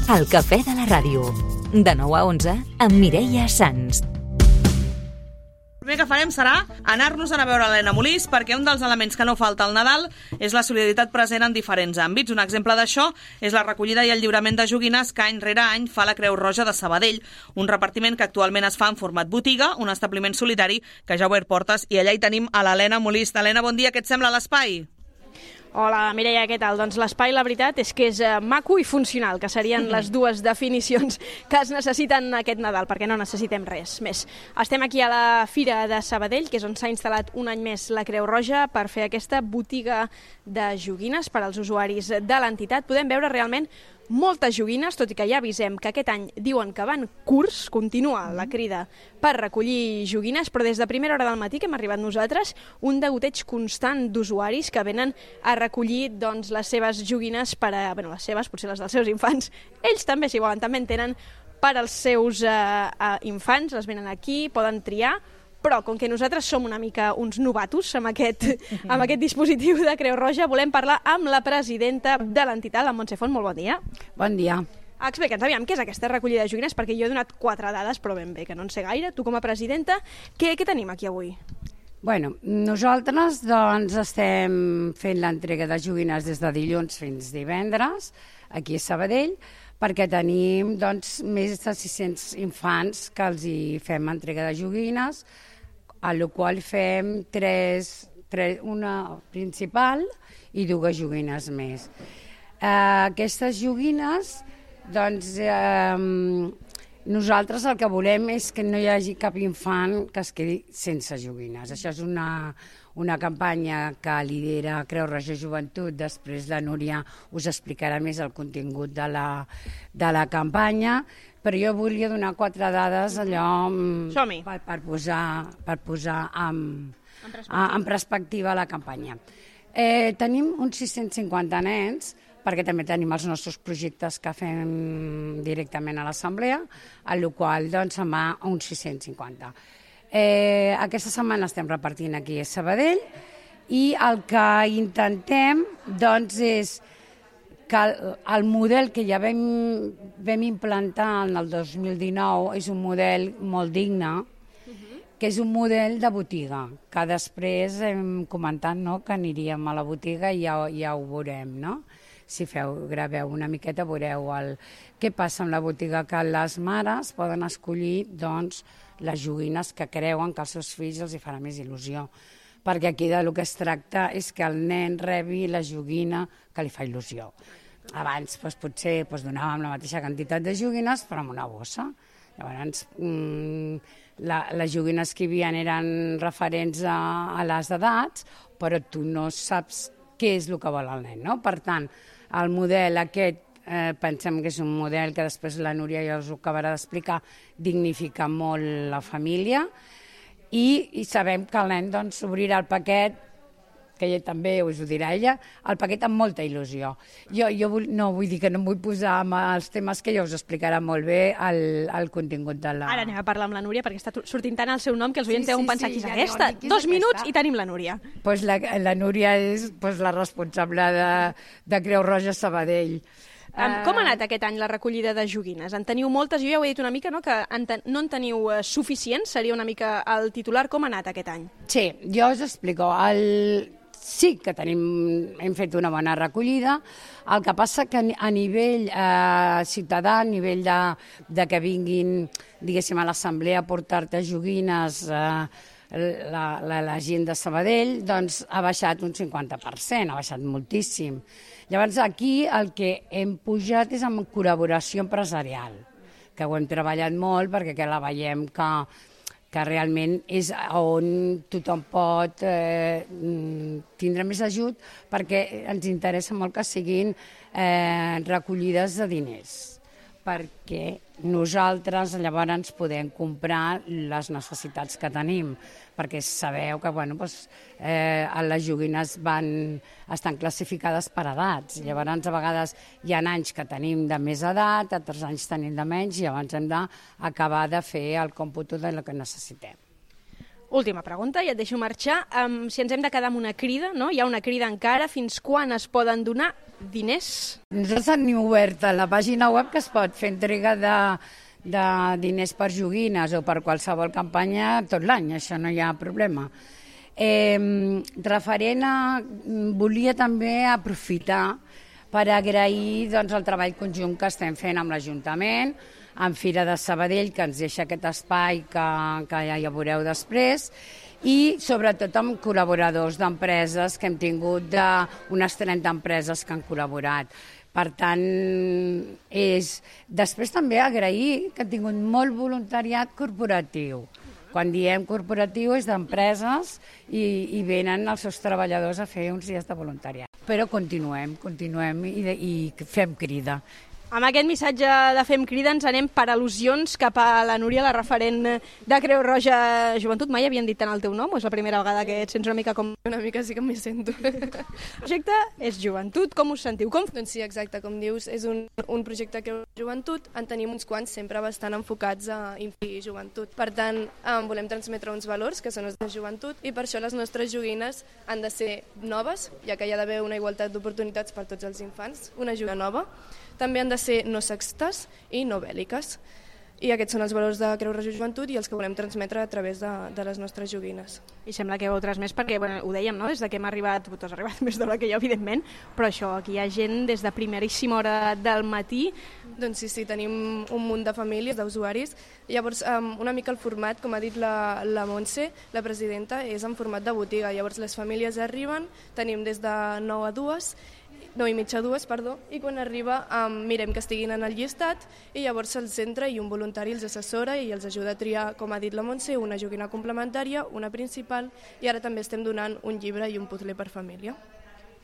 El cafè de la ràdio. De 9 a 11 amb Mireia Sans. El primer que farem serà anar-nos a veure l'Helena Molís, perquè un dels elements que no falta al Nadal és la solidaritat present en diferents àmbits. Un exemple d'això és la recollida i el lliurament de joguines que any rere any fa la Creu Roja de Sabadell, un repartiment que actualment es fa en format botiga, un establiment solidari que ja ha obert portes, i allà hi tenim a l'Helena Molís. Helena, bon dia, què et sembla l'espai? Hola, Mireia, què tal? Doncs l'espai, la veritat, és que és maco i funcional, que serien les dues definicions que es necessiten aquest Nadal, perquè no necessitem res més. Estem aquí a la Fira de Sabadell, que és on s'ha instal·lat un any més la Creu Roja, per fer aquesta botiga de joguines per als usuaris de l'entitat. Podem veure realment moltes joguines, tot i que ja avisem que aquest any diuen que van curts, continua la crida per recollir joguines, però des de primera hora del matí que hem arribat nosaltres, un degoteig constant d'usuaris que venen a recollir doncs, les seves joguines per a, les seves, potser les dels seus infants. Ells també, si volen, també en tenen per als seus infants, les venen aquí, poden triar, però com que nosaltres som una mica uns novatos amb aquest dispositiu de Creu Roja, volem parlar amb la presidenta de l'entitat, la Montse Font. Molt bon dia. Bon dia. Explica'ns, aviam, què és aquesta recollida de joguines? Perquè jo he donat 4 dades, però ben bé, que no en sé gaire. Tu com a presidenta, què tenim aquí avui? Bueno, nosaltres doncs estem fent l'entrega de joguines des de dilluns fins divendres, aquí a Sabadell, perquè tenim doncs, més de 600 infants que els hi fem entrega de joguines, a la qual fem una principal i 2 joguines més. Aquestes joguines, doncs, nosaltres el que volem és que no hi hagi cap infant que es quedi sense joguines. Això és una campanya que lidera Creu Roja Joventut. Després la Núria us explicarà més el contingut de la campanya, però jo volia donar 4 dades allò per posar en perspectiva la campanya. Tenim uns 650 nens, perquè també tenim els nostres projectes que fem directament a l'assemblea, a la qual doncs, se'n va uns 650. Aquesta setmana estem repartint aquí a Sabadell i el que intentem doncs, és que el model que ja vam implantar en el 2019 és un model molt digne, que és un model de botiga, que després hem comentat que aniríem a la botiga i ja ho veurem, no? Si graveu una miqueta veureu què passa amb la botiga, que les mares poden escollir doncs, les joguines que creuen que als seus fills els hi farà més il·lusió, perquè aquí del que es tracta és que el nen rebi la joguina que li fa il·lusió. Abans potser donàvem la mateixa quantitat de joguines, però amb una bossa. Llavors, les joguines que hi havia eren referents a les edats, però tu no saps què és el que vol el nen, no? Per tant, el model aquest, pensem que és un model que després la Núria ja us ho acabarà d'explicar, dignifica molt la família i sabem que el nen doncs, obrirà el paquet, que ella també us ho dirà ella, el paquet amb molta il·lusió. Jo no vull dir que no em vull posar amb els temes que ja us explicarà molt bé el contingut de la... Ara anem a parlar amb la Núria, perquè està sortint tant el seu nom que els oients deuen pensar qui és aquesta. 2 minuts i tenim la Núria. Pues la Núria és la responsable de Creu Roja Sabadell. Com ha anat aquest any la recollida de joguines? En teniu moltes? Jo ja ho he dit una mica, no? Que no en teniu suficients, seria una mica el titular. Com ha anat aquest any? Sí, jo us explico. Sí que hem fet una bona recollida, el que passa que a nivell ciutadà, a nivell de que vinguin, diguéssim, a l'assemblea a portar-te joguines, la gent de Sabadell, doncs ha baixat un 50%, ha baixat moltíssim. Llavors aquí el que hem pujat és amb col·laboració empresarial, que ho hem treballat molt perquè la veiem que realment és on tothom pot tindre més ajut, perquè ens interessa molt que siguin recollides de diners, perquè nosaltres llavors podem comprar les necessitats que tenim, perquè sabeu que les joguines estan classificades per edats. Llavors, a vegades hi ha anys que tenim de més edat, altres anys tenim de menys, i llavors hem d'acabar de fer el còmput de lo que necessitem. Última pregunta, i et deixo marxar. Si ens hem de quedar amb una crida, no? Hi ha una crida encara. Fins quan es poden donar diners? Nosaltres tenim obert a la pàgina web que es pot fer entrega de diners per joguines o per qualsevol campanya tot l'any, això no hi ha problema. Referent a... Volia també aprofitar per agrair doncs, el treball conjunt que estem fent amb l'Ajuntament, amb Fira de Sabadell, que ens deixa aquest espai que ja veureu després, i sobretot amb col·laboradors d'empreses que hem tingut d'unes 30 empreses que han col·laborat. Per tant, després també agrair que han tingut molt voluntariat corporatiu. Quan diem corporatiu és d'empreses i venen els seus treballadors a fer uns dies de voluntariat. Però continuem i fem crida. Amb aquest missatge de Fem Crida ens anem per al·lusions cap a la Núria, la referent de Creu Roja Joventut. Mai havien dit tant el teu nom o és la primera vegada que et sents una mica com... Una mica sí que m'hi sento. El projecte és Joventut, com us sentiu? Doncs sí, exacte, com dius, és un projecte Creu Roja Joventut, en tenim uns quants sempre bastant enfocats a infantil i joventut. Per tant, volem transmetre uns valors que són els de joventut i per això les nostres joguines han de ser noves, ja que hi ha d'haver una igualtat d'oportunitats per tots els infants, una joguina nova. També han de ser no sexistes i no bèl·liques. I aquests són els valors de Creu Roja Joventut i els que volem transmetre a través de les nostres joguines. I sembla que heu transmès perquè, ho dèiem, no? Des que hem arribat, tu has arribat més d'hora que jo, evidentment, però això, aquí hi ha gent des de primeríssima hora del matí. Doncs sí, tenim un munt de famílies, d'usuaris. Llavors, una mica el format, com ha dit la Montse, la presidenta, és en format de botiga. Llavors, les famílies arriben, tenim des de 9 a 2, 9 i mitja a 2, i quan arriba mirem que estiguin en el llistat i llavors se'ls centra i un voluntari els assessora i els ajuda a triar, com ha dit la Montse, una joguina complementària, una principal i ara també estem donant un llibre i un puzzle per família.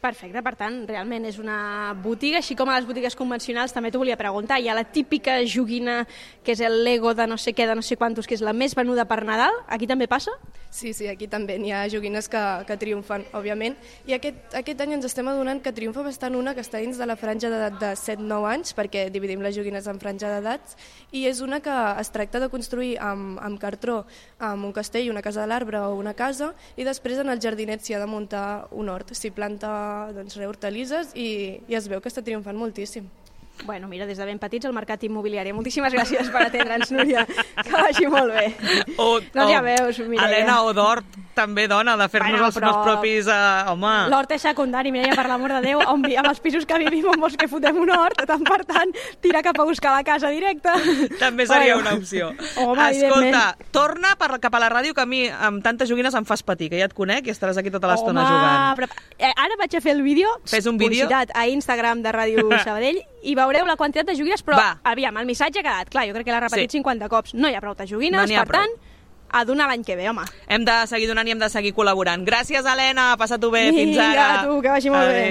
Perfecte, per tant, realment és una botiga, així com a les botigues convencionals, també t'ho volia preguntar, hi ha la típica joguina que és el Lego de no sé què, de no sé quantos, que és la més venuda per Nadal, aquí també passa? Sí, aquí també n'hi ha joguines que triomfen, òbviament, i aquest any ens estem adonant que triomfa bastant una que està dins de la franja d'edat de 7-9 anys, perquè dividim les joguines en franja d'edats, i és una que es tracta de construir amb cartró, amb un castell, una casa de l'arbre o una casa, i després en el jardinet s'hi ha de muntar un hort, s'hi planta hortalisses i es veu que està triomfant moltíssim. Bueno, mira, des de ben petits al mercat immobiliari. Moltíssimes gràcies per atendre'ns, Núria. Que vagi molt bé. Doncs ja veus, Mireia. Helena, o d'hort, també dona, de fer-nos els propis... Home... L'hort és secundari, Mireia, per l'amor de Déu. Amb els pisos que vivim, on vols que fotem un hort, tant per tant, tira cap a buscar la casa directa. També seria una opció. Home, escolta, torna cap a la ràdio, que a mi amb tantes joguines em fas patir, que ja et conec i estaràs aquí tota l'estona jugant. Però ara vaig a fer el vídeo. Fes un vídeo. Publicitat a Instagram de Ràdio Sabadell i veureu la quantitat de joguines, però aviam, el missatge ha quedat clar, jo crec que l'ha repetit 50 cops. No hi ha prou de joguines, per tant, a donar l'any que ve, home. Hem de seguir donant i hem de seguir col·laborant. Gràcies, Helena, passa-t'ho bé, fins ara. Vinga, tu, que vagi molt bé.